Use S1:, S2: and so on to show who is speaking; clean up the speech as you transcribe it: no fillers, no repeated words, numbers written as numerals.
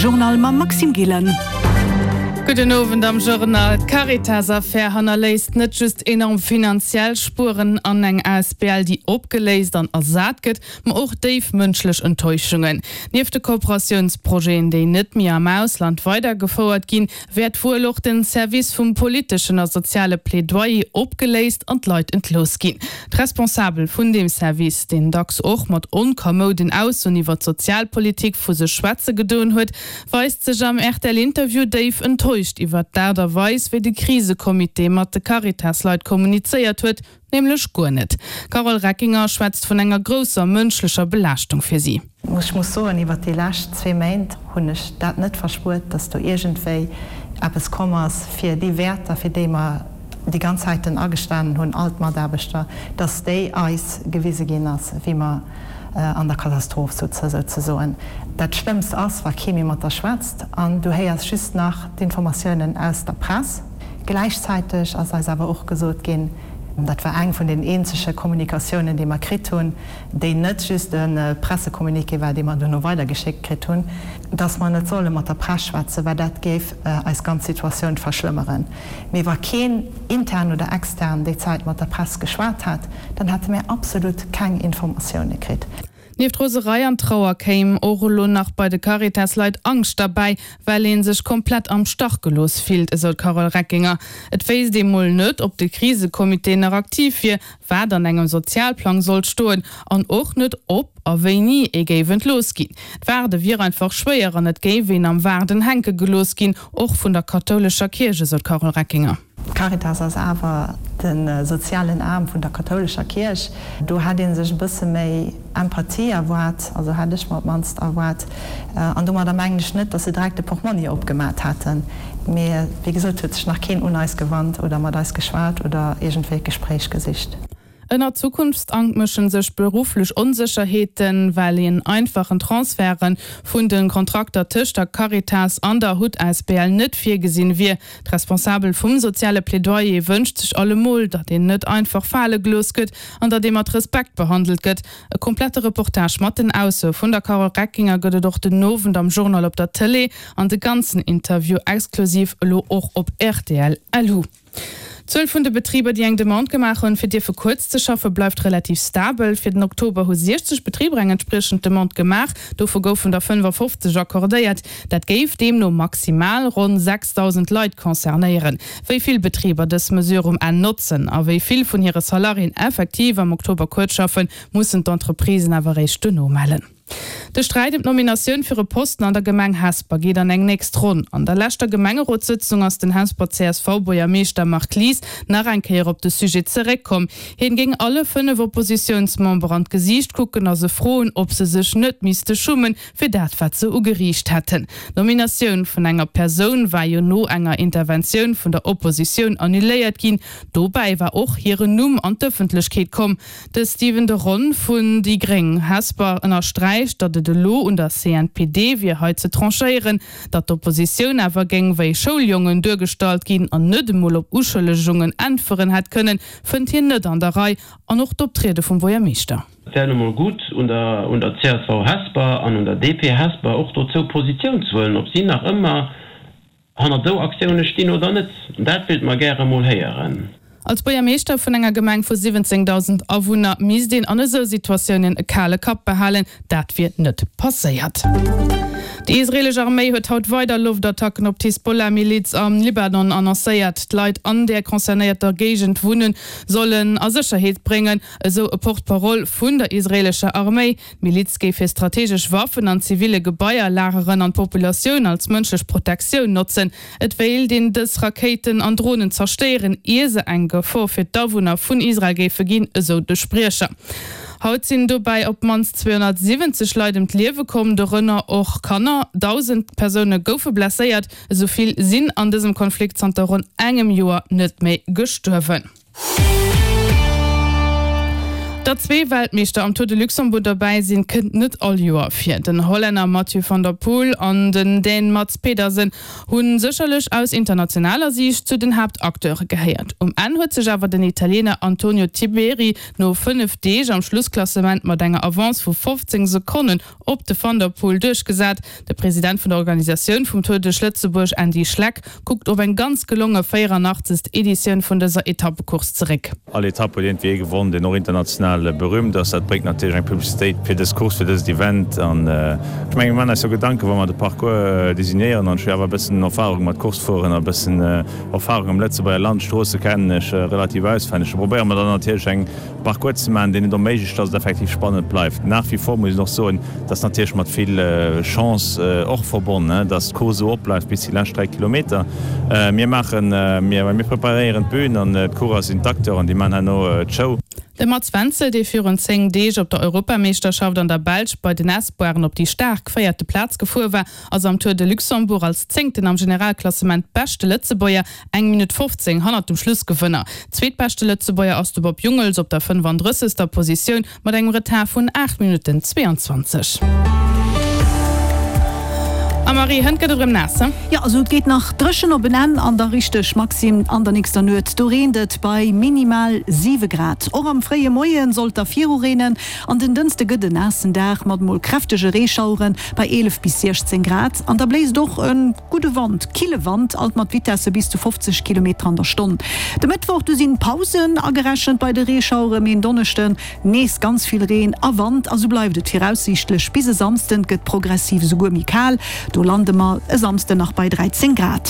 S1: Journal mam Maxime Gillen.
S2: Gudden Owend am Journal. D'Caritas-Affär hannerléisst net just enorm finanziell Spueren an eng Asbl, déi opgeléist an ersat gëtt, ma och déif mënschlech Enttäuschungen. Nieft de Kooperatiounsprojeten, déi net méi am Ausland weidergefouert ginn, wäert wuel och den Service vum politeschen a soziale Plädoyer opgeléist an d'Leit entlooss ginn. D'Responsabel vun deem Service, deen dacks och mat onkamouden Aussoen iwwer d'Sozialpolitik vu sech schwätze gedoen huet, weist sech am RTL-Interview déif enttäuscht iwwer d'Aart a Weis, wéi de Krisecomité mat de Caritas-Leit kommunizéiert huet, Nämlech guer net. D'Carole Reckinger schwätzt vun enger grousser mënschlecher Belaaschtung fir si.
S3: Ech muss soen, iwwert déi lescht zwee Méint hunn ech dat net verspuert, datt do iergendwéi eppes komm ass, fir déi Wäerter, fir déi mer déi ganz Zäiten agestanen hunn, all d'Mataarbechter, datt déi eis gewise ginn ass, wéi mer an der Katastroph sutze souzesoen. Dat Schlëmmst ass, wa kee méi mat der schwätzt an du héiers just nach d'Informatiounen aus der Press. Gläichzäiteg ass eis awer och gesot ginn, dat war eng vun den eenzege Kommunikatiounen, déi mer kritt hunn, déi net just e Pressecommuniqué war, dee mer duerno weidergeschéckt kritt hunn, dass mer net solle mat der Press schwätzen, well dat géif eis ganz Situatioun verschlëmmeren. Mee wa keen intern oder extern déi Zäit mat der Press geschwat hätt, dann hätte mär absolut keng Informatioune kritt.
S2: Nieft Roserei an Trauer kéim och elo nach bei de Caritas-Leit Angscht derbäi, well ee sech komplett am Stach gelooss fillt, esou d'Carole Reckinger. Et wéisst ee mol net, ob de Krisecomité nach aktiv wier, wat an engem Sozialplang sollt stoen an och net, ob a wéini ee géif entlooss ginn. D'Waarde wier einfach schwéier an et géif een am Waarden hänke gelooss ginn, och vun der kathoulescher Kierch, esou d'Carole Reckinger.
S3: D'Caritas ass awer de sozialen Aarm vun der kathoulescher Kierch. Do hätt ee sech e bësse méi Empathie erwaart, also hätt ech mer op d'mannst erwaart. An domadder mengen ech net, datt se direkt de Portmonni opgemat hätten, mee wéi gesot huet sech nach keen un eis gewannt oder mat eis geschwat oder iergendwéi d'Gespréich gesicht.
S2: Ënner Zukunftsangt mëschen sech berufflech Onsécherheeten, well een einfachen Transferte vun de Kontrakter tëscht der Caritas an der hut asbl net virgesinn wier. D'Responsabel vum soziale Plädoyer wënscht sech allemol, datt een net einfach fale gelooss gëtt an datt ee mat Respekt behandelt gëtt. E komplette Reportage mat den Aussoe vun der Carole Reckinger gëtt et och den Owend am Journal op der Tëlee an de ganzen Interview exklusiv elo och op rtl. Lu. D'Zuel vun de Betriber, déi eng Demande gemaach hunn, fir dierfe kuerz ze schaffen, bleift relativ stabel. Fir den Oktober hu 60 Betriber eng entspriechend Demande gemaach, dovu goufen der 55 accordéiert. Dat géif deemno maximal ronn 6.000 Leit concernéieren. Wéi vill Betriber dës Mesure um Enn notzen a wéi vill vun hire Salariéen effektiv am Oktober kuerz schaffen, mussen d'Entreprisen awer eréischt duerno mellen. De Sträit ëm d'Nominatioun fir e Posten an der Gemeng Hesper geet an eng nächst Ronn. An der leschter Gemengerotssëtzung ass den Hesper CSV-Buergermeeschter Marc Lies nach eng Kéier op de Sujet zeréckkomm. Hien géing alle 5 Oppositiounsmembere an d'Gesiicht kucken a se froen, ob se sech net misste schummen, fir dat wat se ugeriicht hätten. D'Nominatioun vun enger Persoun war jo no enger Interventioun vun der Oppositioun annuléiert ginn. Dobäi war och hiren Numm an d'Ëffentlechkeet komm. De Stephen de Ron vun déi gréng Hesper ënnersträicht, datt et elo un der CNPD wier hei ze tranchéieren. Datt d'Oppositioun awer géing wéi Schouljongen duergestallt ginn an net emol op Uschëllegungen äntweren hätt kënnen, fënnt hien net an der Rei. An och d'Optriede vum Buergermeeschter.
S4: Et wär nu mol gutt un der un der csv Hesper an un der DP Hesper och dozou Positioun ze huelen, ob si nach ëmmer Hannert esou Aktioune stinn oder net, dat wéilt mer gäre mol héieren.
S2: Als Buergermeeschter vun enger Gemeng vu 17.000 Awunner misst een an esou Situatiounen e kale Kapp behalen. Dat wier net passéiert. Déi israeelesch Arméi huet haut weider Loftattacken op d'Hisbollah-Miliz am Libanon annoncéiert. D'Leit an där concernéierter Géigend wunnen, sollen a Sécherheet bréngen, esou e Porte-parole vun der israeelescher Arméi. D'Miliz géif hir strategesch Waffen an ziville Gebaier lageren an d'Populatioun als mënschlech Protektioun notzen. Et wéilt een dës Rakéiten an Dronen zerstéieren, ier se eng Gefor fir d'Awunner vun Israel géife ginn, esou de Spriecher. Haut sinn dobäi op d'mannst 270 Leit ëm d'Liewe komm, dorënner och Kanner. 1.000 Persoune goufe blesséiert. Esou vill sinn an dësem Konflikt zanter ronn engem Joer net méi gestuerwen. Datt zwee Weltmeeschter am Tour de Luxembourg derbäi sinn, kënnt net all Joer vir. Den Hollänner Mathieu van der Poel an den Dän Mads Pedersen hu sécherlech aus internationaler Siicht zu den Haaptacteure gehéiert. Um Enn huet sech awer den Italiener Antonio Tiberi no 5 Deeg am Schlussklassement mat enger Avance vu 15 Sekonnen op de Van der Poel duerchgesat. De President vun der Organisatioun vum Tour duerch Lëtzebuerg, Andy Schleck, kuckt op eng ganz gelonge 84. Editioun vun dëser Etappecourse zeréck.
S1: All Etapp huet iergendwéi ee gewonn, deen och international berühmt ass. Dat bréngt natierlech eng Publicitéit fir dës Course, fir dëst Event. An ech menge mir maachen eis jo Gedanken, wa mer de Parcours designéieren. An ech hu jo awer e bëssen Erfahrung mat Course fueren a e bëssen Erfahrung am Lëtzebuerger Land. D'Stroosse kennen ech relativ auswenneg. Do probéiere mer dann natierlech eng Parcours ze maachen, deen et erméiglecht, dass et effektiv spannend bleift. Nach wie vor muss een och soen, et ass natierlech mat vill Chance och verbonnen, dass d'Course esou opbleift bis déi lescht 3 Kilometer. Mir maachen, mir mir preparéieren d'Bün an d'Coureur sinn d'Acteuren, déi maachen herno d'Show.
S2: De Mats Wenzel, dee virun 10 Deeg op der Europameeschterschaft an der Belsch bei den Espoiren op déi staark véierte Plaz gefuer war, ass am Tour de Luxembourg als Zéngten am Generalklassement beschte Lëtzebuerger, eng Minutt 15 hannert dem Schlussgewënner. Zweetbeschte Lëtzebuerger ass de Bob Jungels op der 35. Positioun mat engem Retard vun 8 Minutten 22. A Marie, hënt gëtt et erëm naass, he?
S5: Jo, also et geet nach dréchen op en Enn an da richteg Maxim an der nächster Nuet. Do reent et bei minimal 7 Grad. Och am fréie Moie sollt da viru reenen an den Dënschde gëtt en naassen Dag mat mol kräftege Reeschauere bei 11 bis 16 Grad an da bléist och e gudde Wand, kille Wand, alt mat Vitesse bis zu 50 Kilometer an der Stonn. De Mëttwoch du sinn Pausen agerechent bei de Reeschauere, mee en Donneschden nees ganz vill Reen a Wand a sou bleift et viraussiichtlech bis e Samsden. Et gëtt progressiv esouguer méi kal, do lande mer e Samsden nach bei 13 Grad.